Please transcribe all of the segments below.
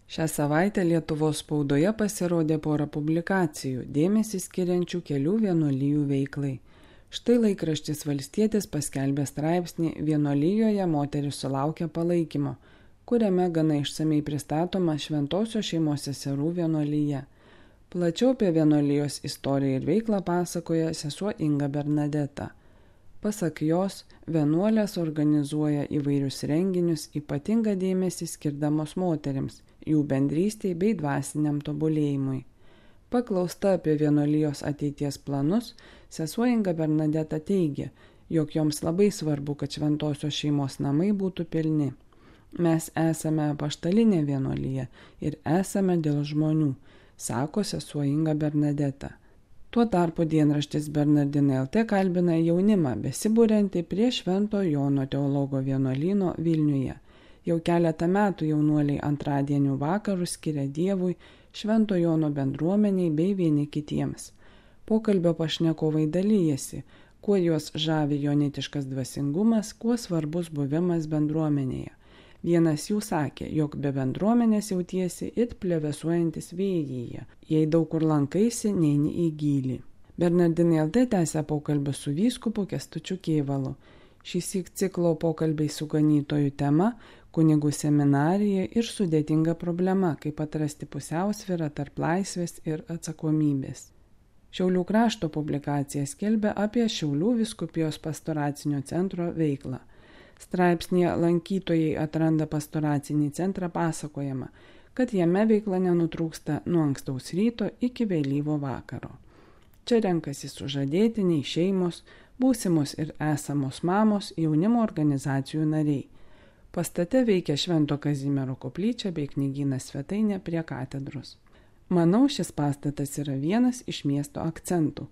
Šią savaitę Lietuvos spaudoje pasirodė pora publikacijų, dėmesį skiriančių kelių vienuolijų veiklai. Štai laikraštis Valstietis paskelbė straipsnį "Vienuolijoje moteris sulaukia palaikymo", kuriame gana išsamei pristatoma Šventosios šeimos seserų vienuolija. Plačiau apie vienuolijos istoriją ir veiklą pasakoja sesuo Inga Bernadeta. Pasak jos, vienuolės organizuoja įvairius renginius, ypatingą dėmesį skirdamos moterims, jų bendrystei bei dvasiniam tobulėjimui. Paklausta apie vienuolijos ateities planus, sesuo Inga Bernadeta teigia, jog joms labai svarbu, kad Šventosios šeimos namai būtų pilni. Mes esame apaštalinė vienuolija ir esame dėl žmonių, sako sesuo Inga Bernadeta. Tuo tarpu dienraštis Bernardinai LT kalbina jaunimą besiburiantį prie Švento Jono teologo vienuolyno Vilniuje. Jau keletą metų jaunuoliai antradienių vakarus skiria Dievui, Švento Jono bendruomeniai bei vieni kitiems. Pokalbio pašnekovai dalyjasi, kuo juos žavi jonitiškas dvasingumas, kuo svarbus buvimas bendruomenėje. Vienas jų sakė, jog be bendruomenės jautiesi it plevėsuojantis vėjyje, jei daug kur lankaisi, neini į gylį. Bernardinai LT tęsia pokalbį su vyskupu Kęstučiu Kėvalu. Šįsyk ciklo pokalbiai su ganytojų tema – kunigų seminarija ir sudėtinga problema, kaip atrasti pusiausvyrą tarp laisvės ir atsakomybės. Šiaulių krašto publikacija skelbia apie Šiaulių vyskupijos pastoracinio centro veiklą. Straipsnėje lankytojai atranda pastoracinį centrą pasakojama, kad jame veikla nenutrūksta nuo ankstaus ryto iki vėlyvo vakaro. Čia renkasi sužadėtiniai, šeimos, būsimos ir esamos mamos, jaunimo organizacijų nariai. Pastate veikia Švento Kazimiero koplyčia bei knygynas svetainė prie katedros. Manau, šis pastatas yra vienas iš miesto akcentų,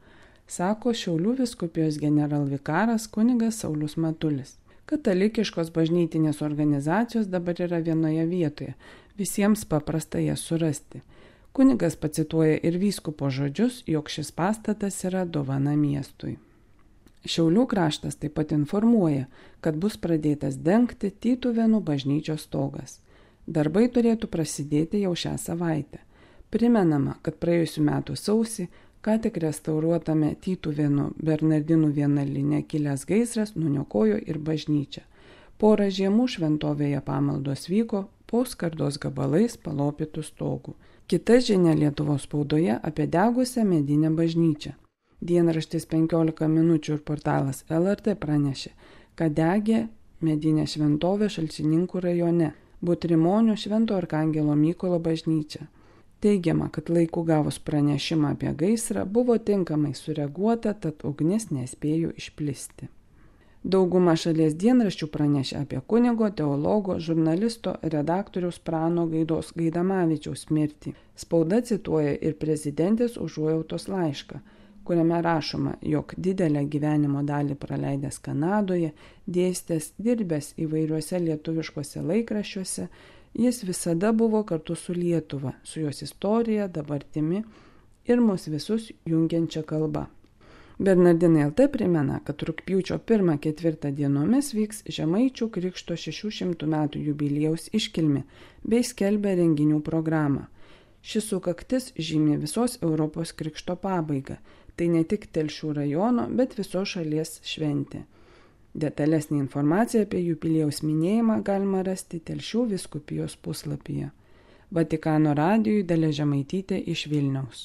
sako Šiaulių vyskupijos generalvikaras kunigas Saulius Matulis. Katalikiškos bažnytinės organizacijos dabar yra vienoje vietoje, visiems paprasta jas surasti. Kunigas pacituoja ir vyskupo žodžius, jog šis pastatas yra dovana miestui. Šiaulių kraštas taip pat informuoja, kad bus pradėtas dengti Tytuvėnų bažnyčios stogas. Darbai turėtų prasidėti jau šią savaitę. Primenama, kad praėjusių metų sausį ką tik restauruotame Tytuvėnų Bernardinų vienuolyne kilęs gaisras nuniokojo ir bažnyčią. Porą žiemų šventovėje pamaldos vyko po skardos gabalais palopytų stogų. Kita žinia Lietuvos spaudoje apie degusią medinę bažnyčią. Dienraštis 15 minučių ir portalas LRT pranešė, kad degė medinė šventovė Šalčininkų rajone, Butrimonių Švento Arkangelo Mykolo bažnyčia. Teigiama, kad laiku gavus pranešimą apie gaisrą buvo tinkamai sureaguota, tad ugnis nespėjo išplisti. Dauguma šalies dienraščių pranešė apie kunigo, teologo, žurnalisto, redaktoriaus Prano Gaidos Gaidamavičiaus mirtį. Spauda cituoja ir prezidentės užuojautos laišką, kuriame rašoma, jog didelę gyvenimo dalį praleidęs Kanadoje, dėstęs, dirbęs įvairiuose lietuviškuose laikraščiuose, jis visada buvo kartu su Lietuva, su jos istorija, dabartimi ir mus visus jungiančia kalba. Bernardinai LT primena, kad rugpjūčio 1-4 dienomis vyks Žemaičių Krikšto 600 metų jubiliejaus iškilmė bei skelbia renginių programą. Šis sukaktis žymi visos Europos krikšto pabaigą. Tai ne tik Telšių rajono, bet visos šalies šventė. Detalesnį informaciją apie jubiliejaus minėjimą galima rasti Telšių vyskupijos puslapyje. Vatikano radijui Dalia Žemaitytė iš Vilniaus.